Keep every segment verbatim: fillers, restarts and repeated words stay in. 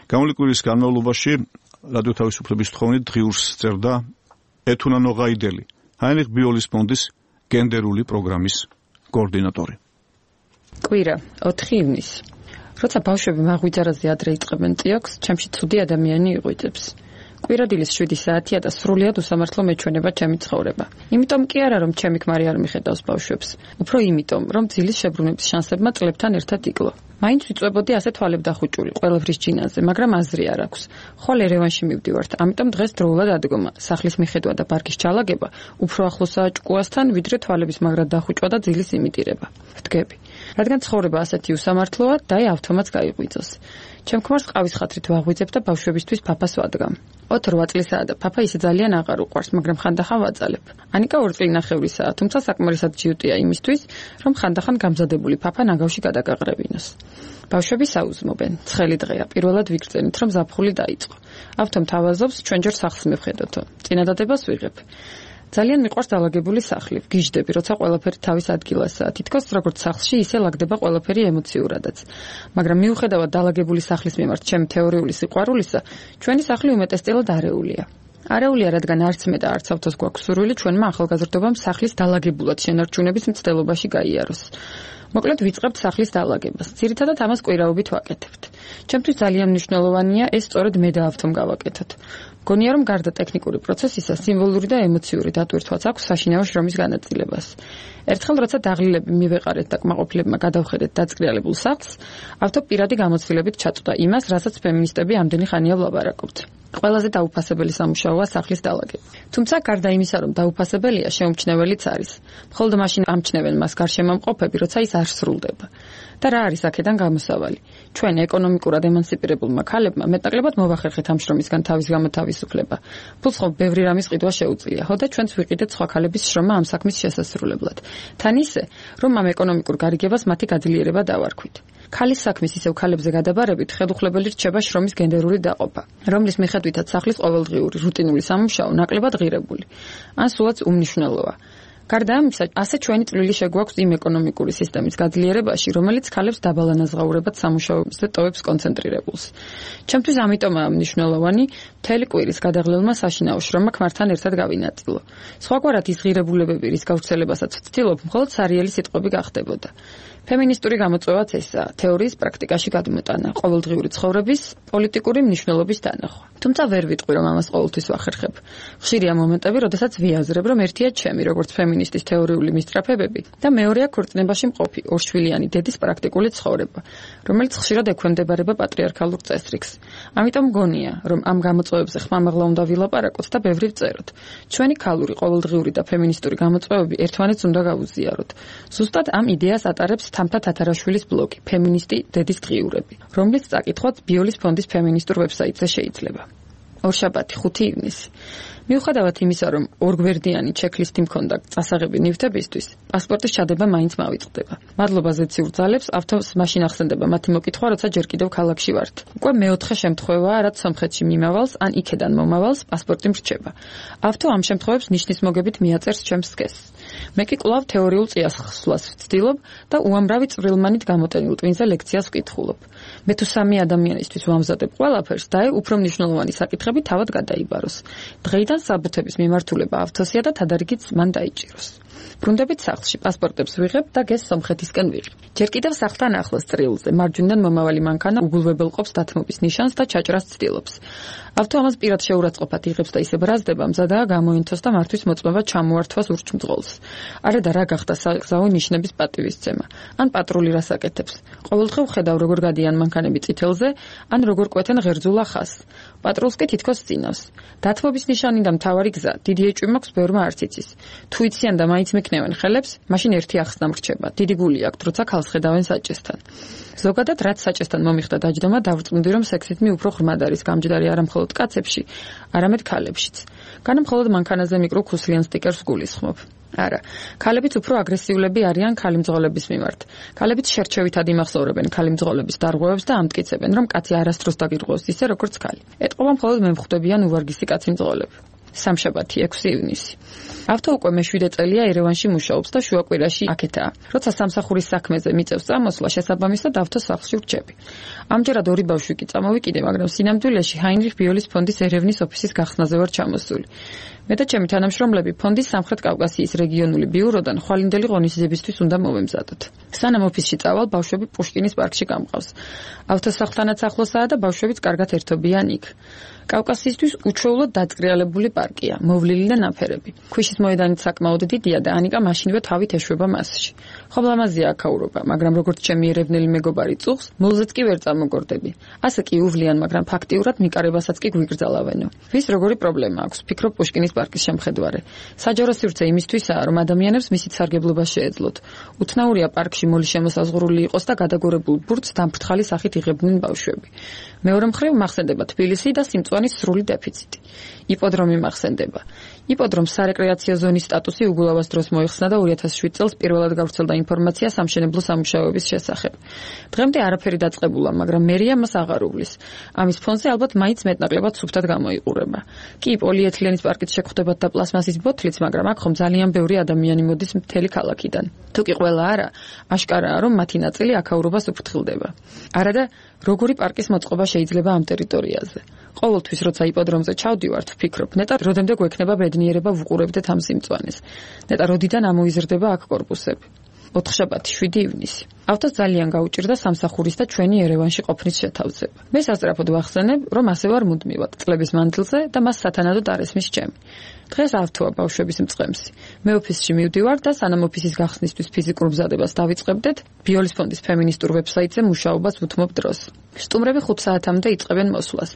გამოვლინებული კვირის განმავლობაში რადიო თავისუფლების თხოვნით დღიურს წერდა ეთუნა ნოღაიდელი, ჰაინრიხ ბიოლის ფონდის გენდერული პროგრამის კოორდინატორი. კვირა, ოთხი ივნისი. როცა ბავშვები მაღვიძარაზე ადრე იწყებენ წიოქს, ჩემში ცუდი ადამიანი იღვიძებს. კვირადილის შვიდი საათია და სრულიად უსამართლო მეჩვენება ჩემი ცხოვრება. იმიტომ კი არა, რომ ჩემი ქმარი არ მიხედავს ბავშვებს, უფრო იმიტომ, რომ ძილის შებრუნების შანსებმა წლებთან ერთად იკლო. მაინც ვიწვებოდი ასე თვალებდახუჭული ყველაფრის ჯინაზე, მაგრამ აზრი არ აქვს. ხვალ ერევანში მივდივართ, ამიტომ დღეს დროულად ადგომა, სახლის მიხედვა და პარკის ჩალაგება უფრო ახლოსაა ჭკუასთან, ვიდრე თვალების მაგრად დახუჭვა და ძილის იმიტირება. ვდგები. რადგან ცხოვრება ასეთი უსამართლოა, დაი ავთომატს გაიღვიძოს. ჩემ ქმარს ყავის ხათრით ვაღვიძებ და ბავშვებისთვის პაპას ვადგამ. ოთხ-რვა წლისაა და პაპა ისე ძალიან აღარ უყვარს, მაგრამ ხანდახან ვაძალებ. ანიკა ორ წლინახევრისაა, თუმცა საკმარისად ჯიუტია იმისთვის, რომ ხანდახან გამზადებული პაპა ნაგავში გადაგაყრევინოს. ბავშვები საუზმობენ. ცხელი დღეა, პირველად ვიგრძენით, რომ ზაფხული დაიწყო. ავთომ თავაზობს, ჩვენ ჯერ სახლს მივხედოთო. წინადადებას ვიღებ. ძალიან მიყვარს დალაგებული სახლი. ვგიჟდები, როცა ყველაფერი თავის ადგილასაა. თითქოს როგორც სახლში, ისე ლაგდება ყველაფერი ემოციურადაც. მაგრამ მიუხედავად დალაგებული სახლის მიმართ ჩემი თეორიული სიყვარულისა, ჩვენი სახლი უმეტესწილად არეულია. არეულია, რადგან არც მე და არც ავთოს გვაქვს სურვილი ჩვენმა ახალგაზრდობამ სახლის დალაგებულად შენარჩუნების მცდელობაში გაიაროს. მოკლედ ვიწყებთ სახლის დალაგებას. ძირითადად ამას კვირაობით ვაკეთებთ. ჩემთვის ძალიან მნიშვნელოვანია ეს სწორედ მე და ავთომ გავაკეთოთ. გონია რომ გარდა ტექნიკური პროცესისა, სიმბოლური და ემოციური დატვირთვაც აქვს საშინაო შრომის განაწილებას. ერთხელ როცა დაღლილები მივეყარეთ და კმაყოფილებმა გადავხედეთ დაწკრიალებულ სახლს, ავთო პირადი გამოცდილებით ჩაწვდა იმას, რასაც ფემინისტები ამდენი ხანია ვლაპარაკობთ. ყველაზე დაუფასებელი სამუშაოა სახლის დალაგება. თუმცა გარდა იმისა, რომ დაუფასებელია, შეუმჩნეველიც არის. მხოლოდ მაშინ ამჩნევენ მას გარშემომყოფები, როცა ის არ სრულდება. და რა არის აქედან გამოსავალი? ჩვენ ეკონომიკურად ემანციპირებულმა ქალებმა მეტნაკლებად მოვახერხეთ ამ შრომისგან თავის გამო თავისუფლება. ფულს ხო ბევრი რამის ყიდვა შეუძლია. ხო და ჩვენც ვიყიდეთ სხვა ქალების შრომა ამ საქმის შესასრულებლად. თან ისე, რომ ამ ეკონომიკურ გარიგებას მათი გაძლიერება დავარქვით. ქალის საქმის ისევ ქალებზე გადაბარებით ხელუხლებელი რჩება შრომის გენდერული დაყოფა, რომლის მიხედვითაც სახლის ყოველდღიური რუტინული სამუშაო ნაკლებად ღირებული. ან სულაც უმნიშვნელოა. გარდა ამისა, ასე ჩვენი წვლილი შეგვაქვს იმ ეკონომიკური სისტემის გაძლიერებაში, რომელიც ქალებს დაბალანაზღაურებად სამუშაოებზე ტოვებს კონცენტრირებულს. ჩემთვის ამიტომაა მნიშვნელოვანი მთელი კვირის გადაღლილმა საშინაო შრომა ქმართან ერთად გავინაწილო. სხვაგვარად ის ღირებულებები, რის გავრცელებასაც ვცდილობ, მხოლოდ სარიელი სიტყვები გახდებოდა. ფემინისტური გამოწვევაც ესაა, თეორიის პრაქტიკაში გადმოტანა, ყოველდღიური ცხოვრების პოლიტიკური მნიშვნელობის დანახვა. თუმცა ვერ ვიტყვი, რომ ამას ყოველთვის ვახერხებ. ხშირია მომენტები, როდესაც ვიაზრებ, რომ ერთია ჩემი, როგორც ფემინისტის თეორიული მისწრაფებები და მეორეა ქორწინებაში მყოფი ორშვილიანი დედის პრაქტიკული ცხოვრება, რომელიც ხშირად ექვემდებარება პატრიარქალურ წესრიგს. ამიტომ გონია, რომ ამ გამოწვევებზე ხმამაღლა უნდა ვილაპარაკოთ და ბევრი ვწეროთ. ჩვენი ქალური, ყოველდღიური და ფემინისტური გამოწვევები ერთმანეთს უნდა გავუზიაროთ. ზუსტად ამ იდეას ატარებს თამთა თათარაშვილის ბლოგი ფემინისტი დედის დღიურები, რომლის წაკითხვაც ბიოლის ფონდის ფემინისტურ ვებსაიტზე შეიძლება. ორშაბათი, ხუთი ივნისი. მიუხედავად იმისა, რომ ორგვერდიანი ჩექლისტი მქონდა წასაღები ნივთებისთვის, პასპორტის ჩადება მაინც მავიწყდება. მადლობა ზეციურ ძალებს, ავთოს მაშინ ახსენდება მათი მოკითხვა, როცა ჯერ კიდევ ქალაქში ვართ. უკვე მეოთხე შემთხვევაა, რაც სომხეთში მიმავალს ან იქედან მომავალს პასპორტი მრჩება. ავთო ამ შემთხვევებს ნიშნის მოგებით მიაწერს ჩემს სქესს. მე კი კვლავ თეორიულ წიაღსვლას ვცდილობ და უამრავი წვრილმანით გამოტენილ ტვინზე ლექციას ვკითხულობ. მე თუ სამი ადამიანისთვის ვამზადებ ყველაფერს, და უფრო მნიშვნელოვანი საკითხები თავად გადაიბაროს. დღეიდან საბუთების მიმართულება ავთოსია და თადარიგიც მან დაიჭიროს. ბრუნდებით სახლში, პასპორტებს ვიღებ და გეს სომხეთისკენ ვიღებ. ჯერ კიდევ სახლთან ახლოს წრილზე, მარჯვნიდან მომავალი მანქანა უგულვებელყოფს დათმობის ნიშანს და ჩაჭრას ცდილობს. ავთო ამას პირად შეურაცხყოფად იღებს და ისე ბრაზდება, მზადაა გამოინთოს და მართვის მოწმობა ჩამოართვას ურჩმძღოლს. არა და რა გახდა საგზაო ნიშნების პატივისცემა. ან პატრული რას აკეთებს. ყოველდღე ვხედავ, როგორ გადიან მანქანები წითელზე, ან როგორ კვეთენ ღერძულ ახას. პატრულს კი თითქოს წინავს. დათმობის ნიშანი და მთავარი გზა, დიდი ეჭვი მაქვს ბევრმა არც იცის. თუ იციან და მაინც მეკნევენ ხელებს, მაშინ ერთი ახსნა მრჩება. დიდი გული აქვთ, როცა ქალს ხედავენ საჭესთან. ზოგადად, რაც საჭესთან მომიხდა დაჯდომა, დავწმუნდი, რომ სექსითმი უფრო ღრმად არის გამჯდარი არა მხოლოდ კაცებში, არამედ ქალებშიც. განა მხოლოდ მანქანაზე მიკრო ქუსლიან სტიკერს გულისხმობ. არა, ქალებიც უფრო აგრესიულები არიან ქალი მძღოლების მიმართ. ქალებიც შერჩევითად იმახსოვრებენ ქალი მძღოლების დარღვევებს და ამტკიცებენ, რომ კაცი არასდროს დაგირღვევს ისე, როგორც ქალი. ეტყობა მხოლოდ მე მხვდებიან უვარგისი კაცი მძღოლები. სამშაბათი ექვსი ივნისი. ავთო უკვე მეშვიდე წელია ერევანში მუშაობს და შუაკვირაში აქეთაა. როცა სამსახურის საქმეზე მიწევს წამოსვლა, შესაბამისად ავთოს სახლში ვრჩები. ამჯერად ორი ბავშვი კი წამოვიკიდე, მაგრამ სინამდვილეში ჰაინრიხ ბიოლის ფონდის ერევნის ოფისის გახსნაზე ვარ ჩამოსული. მე და ჩემი თანამშრომლები ფონდის სამხრეთ კავკასიის რეგიონული ბიუროდან ხვალინდელი ღონისძიებისთვის უნდა მოვემზადოთ. სანამ ოფისში წავალ, ბავშვები პუშკინის პარკში გამყავს. ავტოსახლთანაც ახლოსაა და ბავშვებიც კარგად ერთობიან იქ. კავკასიისთვის უჩვეულოდ დაწყრიალებული პარკია, მოვლილი და ნაფერები. ქვიშის მოედანიც საკმაოდ დიდია და ანიკა მაშინვე თავით ეშვება მასში. ხობლამაზია აქაურობა, მაგრამ როგორც ჩემი ერევნელი მეგობარი წუხს, მოლზეც კი ვერ წამოგორდები. ასე კი უვლიან, მაგრამ ფაქტიურად მიკარებასაც კი გვიგრძალავენო. ვის როგორი პრობლემა აქვს, ფიქრობ პუშკინის პარკის შემხედვარე. საჯარო სივრცე იმისთვისაა, რომ ადამიანებს მისით სარგებლობა შეეძლოთ. უცნაურია პარკში მოლი შემოსაზღვრული იყოს და გადაგორებულ ბურთს დამფრთხალი სახით იღებდნენ ბავშვები. მეორე მხრივ მახსენდება თბილისი და სიმწვანის სრული დეფიციტი. იპოდრომი მახსენდება. იპოდრომს სარეკრეაციო ზონის სტატუსი უგულავას დროს მოიხსნა და ორი ათას შვიდ წელს პირველად გავრცელდა ინფორმაცია სამშენებლო სამუშაოების შესახებ. დღემდე არაფერი დაწყებულა, მაგრამ მერია მას აღარ უვლის. ამის ფონზე ალბათ მაინც მეტნაკლებად სუფთად გამოიყურება. კი, პოლიეთილენის პარკით შეგხვდებათ და პლასმასის ბოთლიც, მაგრამ აქ ხომ ძალიან ბევრი ადამიანი მოდის მთელი ქალაქიდან. თუ კი ყველა არა, აშკარაა, რომ მათი ნაწილი აქაურობას უფრთხილდება. არა და როგორი პარკის მოწყობა შეიძლება ამ ტერიტორიაზე? ყოველთვის როცა იპოდრომზე ჩავდივართ, ვფიქრობ, ნეტა როდემდე გვექნება ბედნიერება ვუყურებდეთ ამ სიმწვანეს. ნეტა როდიდან ამოიზრდება აქ კორპუსები. ოთხშაბათი შვიდი ივნისი. ავთოს ძალიან გაუჭირდა სამსახურის და ჩვენი ერევანში ყოფნის შეთავზება. მე სასწრაფოდ ვახსენებ, რომ ასე ვარ მუდმივად წლების მანძილზე და მას სათანადოდ არ ესმის ჩემი. დღეს ავთოა ბავშვების მწყემსი. მე ოფისში მივდივარ და სანამ ოფისის გახსნისთვის ფიზიკურ მზადებას დავიწყებდეთ, ბიოლის ფონდის ფემინისტურ ვებსაიტზე მუშაობას ვუთმობ დროს. სტუმრები ხუთ საათამდე იწყებენ მოსვლას.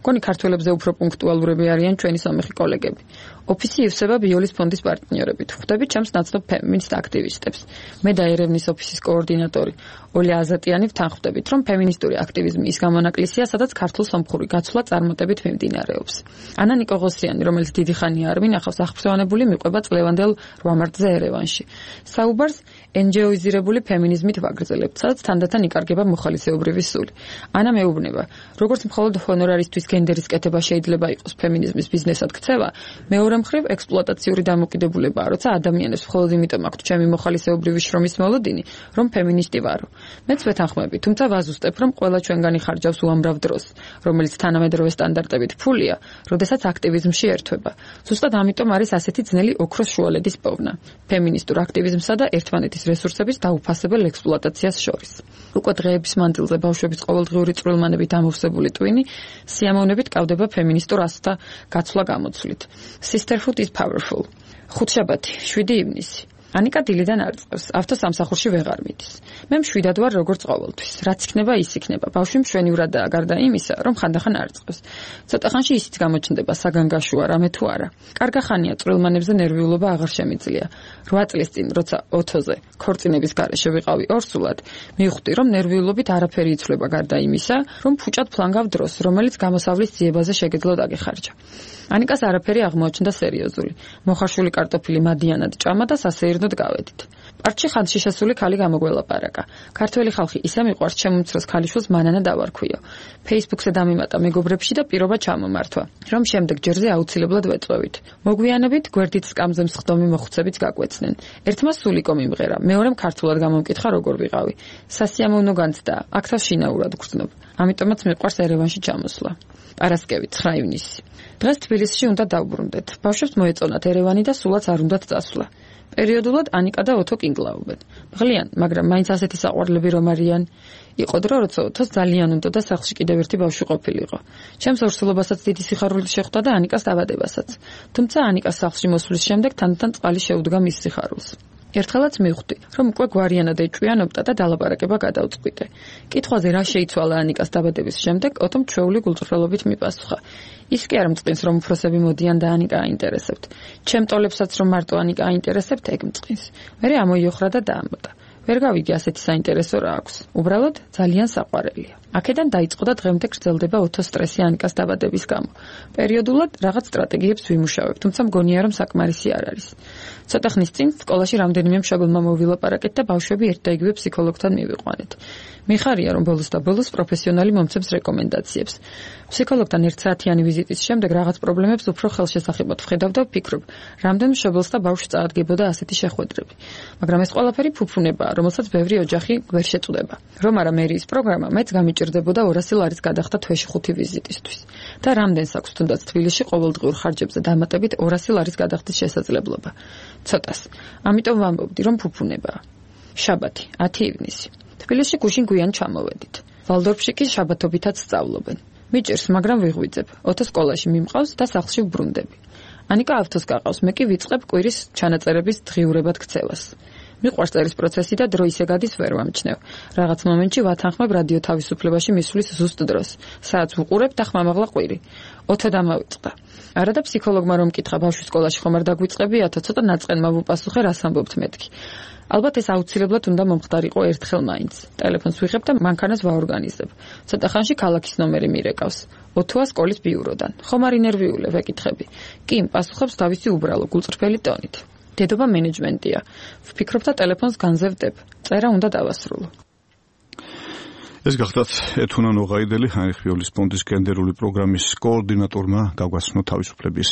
მგონი ქართველებზე უფრო პუნქტუალურები არიან ჩვენი სომეხი კოლეგები. ოფისი ივსება ბიოლის ფონდის პარტნიორებით. ხვდები ჩემს ნაცნობ ფემინისტ აქტივისტებს. მე და ერევნის ოფისის კოორდინატორი ოლია აზატიანი ვთანხმდებით, რომ ფემინისტური აქტივიზმი ის გამონაკლისია, სადაც ქართულ-სომხური გაცვლა წარმატებით მიმდინარეობს. ანა ნიკოღოსიანი, რომელიც დიდი ხანია არ მინახავს, აღფრთოვანებული მიყვება წლევანდელ რვა მარტზე ერევანში. საუბარს ენჯეოიზირებული ფემინიზმით ვაგრძელებთ, სადაც თანდათან იკარგება მოხალისეობრივი სული. ანა მეუბნება, როგორც მხოლოდ ჰონორარისთვის გენდერის კეთება შეიძლება იყოს ფემინიზმის ბიზნესად ქცევა, მეორე მხრივ ექსპლუატაციური დამოკიდებულებაა, როცა ადამიანებს მხოლოდ იმიტომ აქვთ ჩემი მოხალისეობრივი შრომის მოლოდინი, რომ ფემინისტი ვარო. მეც ვეთანხმები, თუმცა ვაზუსტებ, რომ ყველა ჩვენგანი ხარჯავს უამრავ დროს, რომელიც თანამედროვე სტანდარტებით ფულია, როდესაც აქტივიზმში ერთვება. ზუსტად ამიტომ არის ასეთი ძნელი ოქროს შუალედის პოვნა ფემინისტურ აქტივიზმსა და ერთმანეთის რესურსების დაუფასებელ ექსპლუატაციას შორის. უკვე დღეების მანძილზე ბავშვების ყოველდღიური წვრილმანებით ამოვსებული ტვინი სიამოვნებით კავდება ფემინისტურ ასთა გაცვლა გამოცვლით. Sisterhood is powerful. ხუთშაბათი შვიდი ივნისი. ანიკა დილიდან არ წევს, ავთო სამსახურში ვეღარ მიდის. მე მშვიდად ვარ როგორც ყოველთვის. რაც იქნება, ის იქნება. ბავშვი მშვენივრადაა გარდა იმისა, რომ ხანდახან არ წევს. ცოტა ხანში ისიც გამოჩნდება საგანგაშოა, რამე თუ არა. კარგა ხანია წვრილმანებზე ნერვიულობა აღარ შემიძლია. რვა წლის წინ, როცა ოთოზე ქორწინების გარეშე ვიყავი ორსულად, მივხვდი, რომ ნერვიულობით არაფერი იცვლება გარდა იმისა, რომ ფუჭად ფლანგავ დროს, რომელიც გამოსავლის ძიებაზე შეგეძლო დაგეხარჯა. ანიკას არაფერი აღმოაჩნდა სერიოზული. მოხარშული კარტოფილი მადიანად ჭამა და სასეირნოდ გავედით. პარკში ხანში შესული ქალი გამოგველაპარაკა. ქართველი ხალხი ისე მიყვარს ჩემ უმცროს ქალიშვილს მანანა დავარქვიო. ფეისბუქზე დამიმატა მეგობრებში და პირობა ჩამომართვა, რომ შემდეგ ჯერზე აუცილებლად ვეწვევით. მოგვიანებით გვერდით სკამზე მსხდომი მოხუცებიც გაგვეცნენ. ერთმა სულიკო მიმღერა, მეორემ ქართულად გამომკითხა როგორ ვიყავი. სასიამოვნო განცდა, აქ შინაურად გრძნობ. ამიტომაც მიყვარს ერევანში ჩამოსვლა. პარასკევი ცხრა ივნისი. დღეს თბილისში უნდა დავბრუნდეთ. ბავშვებს მოეწონათ ერევანი და სულაც არ უნდათ წასვლა. პერიოდულად ანიკა და ოთო კინგლაობენ. მღლიან, მაგრამ მაინც ასეთი საყვარლები რომ არიან. იყო დრო, როცა ოთოს ძალიან უნდა და სახლში კიდევ ერთი ბავშვი ყოფილიყო. ჩემს ორსულობასაც დიდი სიხარული შეხვდა და ანიკას დაბადებასაც. თუმცა ანიკას სახლში მოსვლის შემდეგ თანდათან წყალი შეუდგა მის სიხარულს. ერთხელაც მივხვდი, რომ უკვე გვარიანად ეჭვიანობდა და დალაპარაკება გადავწყვიტე. კითხვაზე რა შეიცვალა ანიკას დაბადების შემდეგ, ოთომ ჩვეული გულწრფელობით მიპასუხა. ის კი არ მწყინს, რომ უფროსები მოდიან და ანიკა აინტერესებთ. ჩემ ტოლებსაც რომ მარტო ანიკა აინტერესებთ, ეგ მწყინს. მერე ამოიოხრა და დაამბდა. ვერ გავიგე ასეთი საინტერესო რა აქვს. უბრალოდ ძალიან საყვარელია. აქედან დაიწყო და დღემდე გრძელდება ოთო სტრესი ანიკას დაბადების გამო. პერიოდულად რაღაც სტრატეგიებს ვიმუშავებ, თუმცა მგონია რომ საკმარისი არ არის. ცოტა ხნის წინ სკოლაში რამდენიმე მშობელმა მოვილაპარაკეთ და ბავშვები ერთ და იგივე ფსიქოლოგთან მივიყვანეთ. მიხარია რომ ბოლოს და ბოლოს პროფესიონალი მომცემს რეკომენდაციებს. ფსიქოლოგთან ერთ საათიანი ვიზიტის შემდეგ რაღაც პრობლემებს უფრო ხელშესახებად ვხედავ და ვფიქრობ, რამდენ მშობელს და ბავშვს წაადგებოდა ასეთი შეხვედრები. მაგრამ ეს ყველაფერი ფუფუნებაა, რომელსაც ბევრი ოჯახი ვერ შეწუდება. რომ არა მერიის პროგრამა მეც გამიჭირდებოდა ორასი ლარის გადახდა თვეში ხუთი ვიზიტისთვის. და რამდენს აქვს თუნდაც თბილისში ყოველდღიურ ხარჯებზე დამატებით ორასი ლარის გადახდის შესაძლებლობა. ცოტას. ამიტომ ვამბობდი, რომ ფუფუნებაა. შაბათი, ათი ივნისი. თბილისში გუშინ გვიან ჩამოვედით. ვალდორფში კი შაბათობითაც სწავლობენ. მიჭირს, მაგრამ ვიღვიძებ. ოთო სკოლაში მიმყავს და სახლში ვბრუნდები. ანიკა ავთოს გაყავს, მე კი ვიწყებ კვირის ჩანაწერების დღიურებად ქცევას. მიყვარს წერის პროცესი და დრო ისე გადის ვერ ვამჩნევ. რაღაც მომენტში ვათანხმებ რადიო თავისუფლებაში მისვლის ზუსტ დროს. საათს ვუყურებ და ხმამაღლა ყვირი. ოთო დამავიწყდა. არა და ფსიქოლოგმა რომ მკითხა ბავშვის სკოლაში ხომ არ დაგვიწყებიათო, ცოტა ნაწყენმა ვუპასუხე, რას ამბობთ მეთქი. ალბათ ეს აუცილებლად უნდა მომხდარიყო ერთხელ მაინც. ტელეფონს ვიღებ და მანქანას ვაორგანიზებ. ცოტა ხანში ქალაქის ნომერი მირეკავს. ოთოა სკოლის ბიუროდან. ხომ არ ინერვიულე ვეკითხები. კი, პასუხობს თავისი უბრალო გულწრფელი ტონით. დედობა მენეჯმენტია. ვფიქრობ და ტელეფონს განზევდებ. წერა უნდა დავასრულო. ეს გახდათ ეთუნა ნოღაიდელი, ჰაინრიხ ბიოლის ფონდის გენდერული პროგრამის კოორდინატორმა გაგვაცნო თავისუფლების